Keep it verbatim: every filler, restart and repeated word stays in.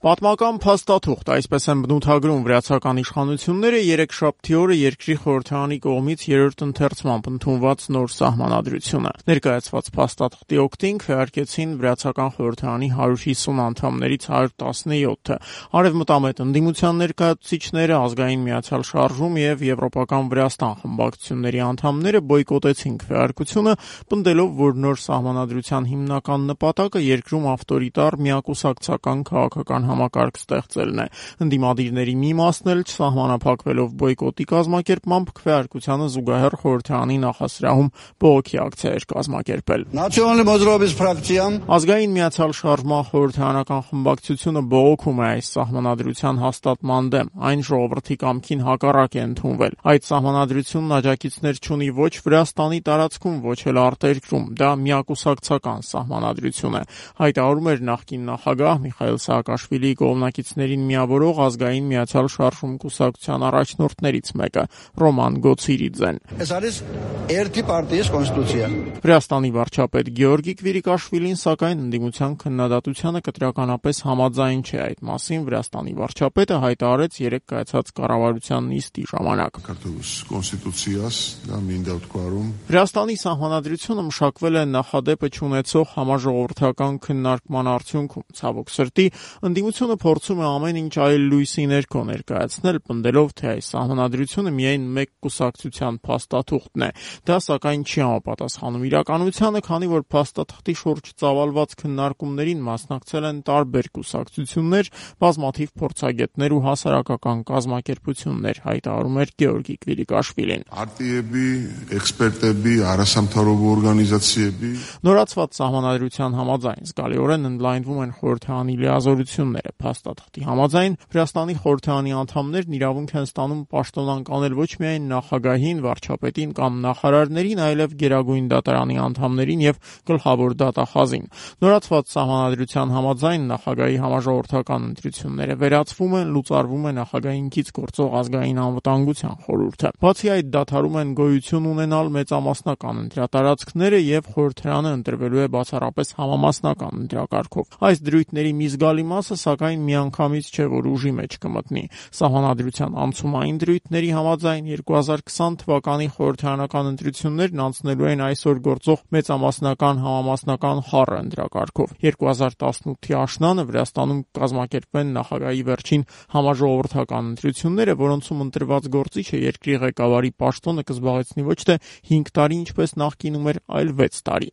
Պատմական փաստաթուղթ, այսպես են բնութագրում վրացական իշխանությունները երեքշաբթի օրը երկրի խորհրդարանի կողմից երրորդ ընթերցմամբ ընդունված նոր սահմանադրությունը։ Ներկայացված փաստաթղթի օգտին քվեարկեցին վրացական խորհրդարանի հարյուր հիսուն անդամներից հարյուր տասնյոթը, արևմտամետ ընդդիմության ներկայացուցիչները, ազգային միացյալ շարժում եւ եվրոպական Վրաստան խմբակցությունների անդամները բոյկոտեցին քվեարկությունը, պնդելով, որ նոր սահմանադրության հիմնական նպատակը երկրում ավտորիտար միակուսակցական քաղաքական համակարգ ստեղծելն է։ Ընդդիմադիրների մի մասն էլ չսահմանափակվելով բոյկոտի կազմակերպմամբ քվեարկությանը զուգահեռ խորհրդարանի նախասրահում բողոքի ակցիա էր կազմակերպել։ Ազգային միացյալ շարժման խորհրդարանական խմբակցությունը բողոքում է այս սահմանադրության հաստատման դեմ, այն ժողովրդի կամքին հակառակ է ընդունվել։ Այդ սահմանադրությունն աջակիցներ չունի ոչ Վրաստանի տարածքում, ոչ էլ արտերկրում, դա միակուսակցական սահմանադրություն է, հայտարարում էր նախկին նախագահ Միխայիլ Սաակաշվիլիի կողմնակիցներին միավորող ազգային միացյալ շարժում կուսակցության առաջնորդներից մեկը՝ Ռոման Գոցիրիձեն։ Վրաստանի վարչապետ Գեորգի Կվիրիկաշվիլին, սակայն, ընդդիմության քննադատությանը կտրականապես համաձայն չէ։ Այդ մասին Վրաստանի վարչապետը հայտարարեց երեկ կայացած կառավարության նիստի ժամանակ։ Վրաստանի սահմանադրությունը մշակվել է նախադեպը չունեցող համաժողովրդական քննարկման արդյունքում։ Ցավոք սրտի, ընդդիմությունը փորձում է ամեն ինչ այլ լույսի ներքո ներկայացնել, պնդելով, թե այս սահմանադրությունը միայն մեկ կուսակցության փաստաթուղթն է։ Դա, սակայն, չի համապատասխանում իրականությանը, քանի որ փաստաթղթի շուրջ ծավալված քննարկումներին մասնակցել են տարբեր կուսակցություններ, բազմաթիվ փորձագետներ ու հասարակական կազմակերպություններ, հայտարարում էր Գեորգի Կվիրիկաշվիլին։ Նորացված սահմանադրության համաձայն զգալիորեն ընդլայնվում են խորհրդարանի լիազորությունները։ Փաստաթղթի համաձայն Վրաստանի խորհրդարանի անդամներն իրավունք են ստանում պաշտոնանկ անել ոչ միայն նախագահին, վարչապետին կամ նախարարներին, այլև գերագույն դատարանի անդամներին եւ գլխավոր դատախազին։ Նորացված սահմանադրության համաձայն նախագահի համաժողովրդական ընտրությունները վերացվում են, լուծարվում է նախագահին կից գործող ազգային անվտանգության խորհուրդը։ Բացի այդ, դադարում են գոյություն ունենալ մեծամասնական ընտրատարածքները եւ խորհրդարանը ընտրվելու է բացառապես համամասնական ընտրակարգով։ Այս դրույթների մի զգալի մասը, սակայն, միանգամից չէ, որ ուժի մեջ կմտնի։ Սահմանադրության անցումային դրույթների համաձայն երկու հազար քսան թվականի խորհրդարանական ընտրություններն անցնելու են այսօր գործող մեծամասնական համամասնական խառը ընտրակարգով։ երկու հազար տասնութի աշնանը Վրաստանում կազմակերպվեն նախագահի վերջին համաժողովրդական ընտրությունները, որոնցում ընտրված գործիչը երկրի ղեկավարի պաշտոնը կզբաղեցնի ոչ թե հինգ տարի, ինչպես նախկինում էր, այլ վեց տարի։